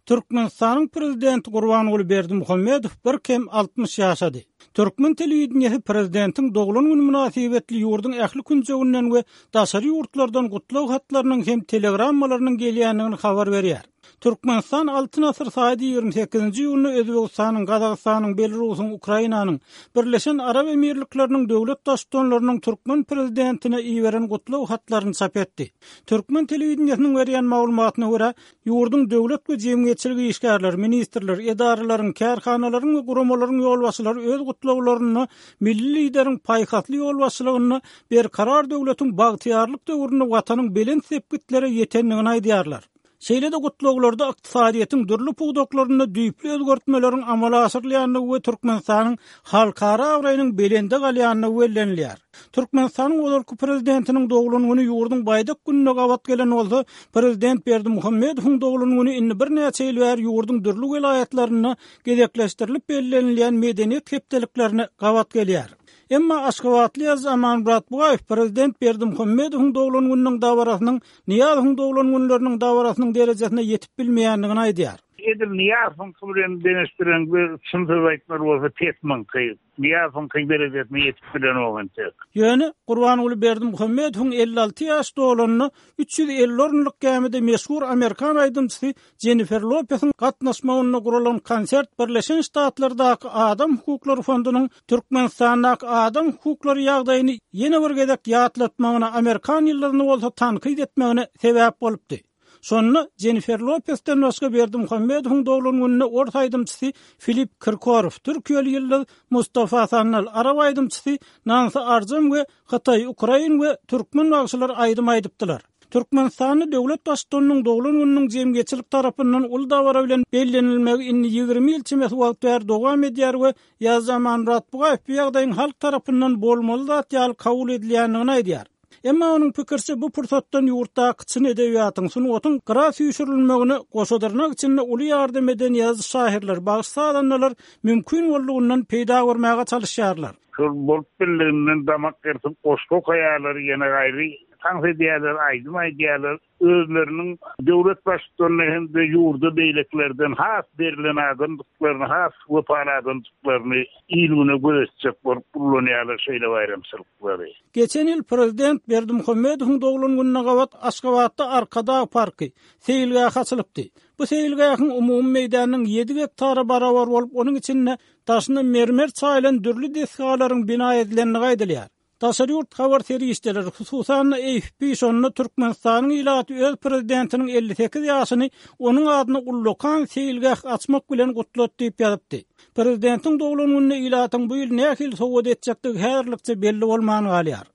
Türkmenistanyň Prezidenti Gurbanguly Berdimuhamedow bir kem 60 ýaşady. Türkmen telewideniýesi prezidentiň doglan güni mynasybetli ýurduň ähli künjeginden we daşary ýurtlardan gutlag hatlarynyň hem telegrammalarynyň gelýändigini habar berýär. Türkmenistan Altyn asyr saýdy 28-nji iýunda Özbegistanyň, Gazagystanyň, Belarusyň, Ukrainanyň, Birleşen Arap Emirlikleriniň döwlet Baştutanlarynyň türkmen prezidentine iberen gutlag hatlaryny çap etdi. Türkmen telewideniýesiniň berýän maglumatyna görä, Ýurduň döwlet we jemgyýetçilik işgärleri, ministrler, edaralaryň, kärhanalaryň we guramalaryň ýolbaşçylary öz gutlaglarynda milli Lideriň paýhasly ýolbaşçylygynda Berkarar döwletiň bagtyýarlyk döwründe Watanyň belent sepgitlere ýetendigini aýdýarlar. Şeýle-de gutlaglarda ykdysadyýetiň dürli pudaklarynda düýpli özgertmeleriň amala aşyrylýandygy we Türkmenistanyň halkara abraýynyň belende galýandygy bellenilýär. Türkmenistanyň ozalky Prezidentiniň doglan güni ýurduň Baýdak gününe gabat gelen bolsa, Prezident Berdimuhamedowyň doglan güni indi birnäçe ýyl bäri ýurduň dürli welaýatlarynda gezekleşdirilip bellenilýän medeniýet hepdeliklerine gabat gelýär. Emma aşgabatly ýazyjy Amanmyrat Bugaýew Prezident Berdimuhamedowyň doglan gününiň dabarasynyň Nyýazowyň doglan günleriniň dabarasynyň derejesine ýetip bilmeýändigini aýdýar. Edil Nyýazowyňky bilen deňeşdireňde çyn söz aýtmaly bolsa pes muňky. Nyýazowyňky derejesine ýetip bilenok entek. Ýöne Gurbanguly Berdimuhamedowyň 56 ýaş dolanyna 350 orunlyk gämide meşhur amerikan aýdymçysy Jennifer Lopesiň gatnaşmagynda guralan konsert Birleşen Ştatlardaky Adam hukuklary fondunyň Türkmenistandaky adam hukuklary ýagdaýyny ýene bir gezek ýatlatmagyna, amerikan ýyldyzyny bolsa tankyt etmegine sebäp bolupdy. Şonda Jennifer Lopesden başga Berdimuhamedowyň doglan gününde ors aýdymçysy Filip Kirkorow, türkiýeli ýyldyz Mustafa Sandal, arap aýdymçysy Nansi Arjam we hytaý, ukrain we türkmen bagşylary aýdym aýdypdylar. Türkmenistanda döwlet Baştutanynyň doglan gününiň jemgyýetçilik tarapyndan uly dabara bilen bellenilmegi indi 20 ýyl çemesi wagt bäri dowam edýär we Ýazyjy Amanmyrat Bugaýew bu ýagdaýyň halk tarapyndan bolmaly zat ýaly kabul edilýändigini aýdýar. Emma onuň pikiriçe, bu pursatdan ýurtdaky çyn edebiýatyň, sungatyň gyra süýşürilmegine goşa dyrnak içinde uly ýardam eden ýazyjy-şahyrlar, bagşy-sazandalar mümkin boldugyndan peýda görmäge çalyşýarlar. Şol bolup bildiginden damak gyrtyp goşgy okaýarlar, ýene gaýry tans edýärler, aýdym aýdýarlar. Özleriniň döwlet baştutanyna hem-de ýurda beýlekilerden has berlen adamdyklaryny, has wepaly adamdyklaryny il-güne göz etjek bolup ullanýarlar şeýle baýramçylyklary. Geçen ýyl prezident Berdimuhamedowyň doglan gününe gabat Aşgabatda Arkadag parky, seýilgähi açylypdy. Bu seýilgähiň umumy meýdanynyň ýedi gektara barabar bolup, onuň içinde daşyna mermer çaýylan dürli desgalaryň bina edilendigi aýdylýar. Daşary ýurt habar serişdeleri, hususan-da AFP şonda Türkmenistanyň ilaty öz prezidentiniň 58 ýaşyny onuň adyna ullakan seýilgäh açmak bilen gutlady diýip ýazypdy. Prezidentiň doglan gününe ilatyň bu ýyl nähili sowgat etjekdigi häzirlikçe belli bolman galýar.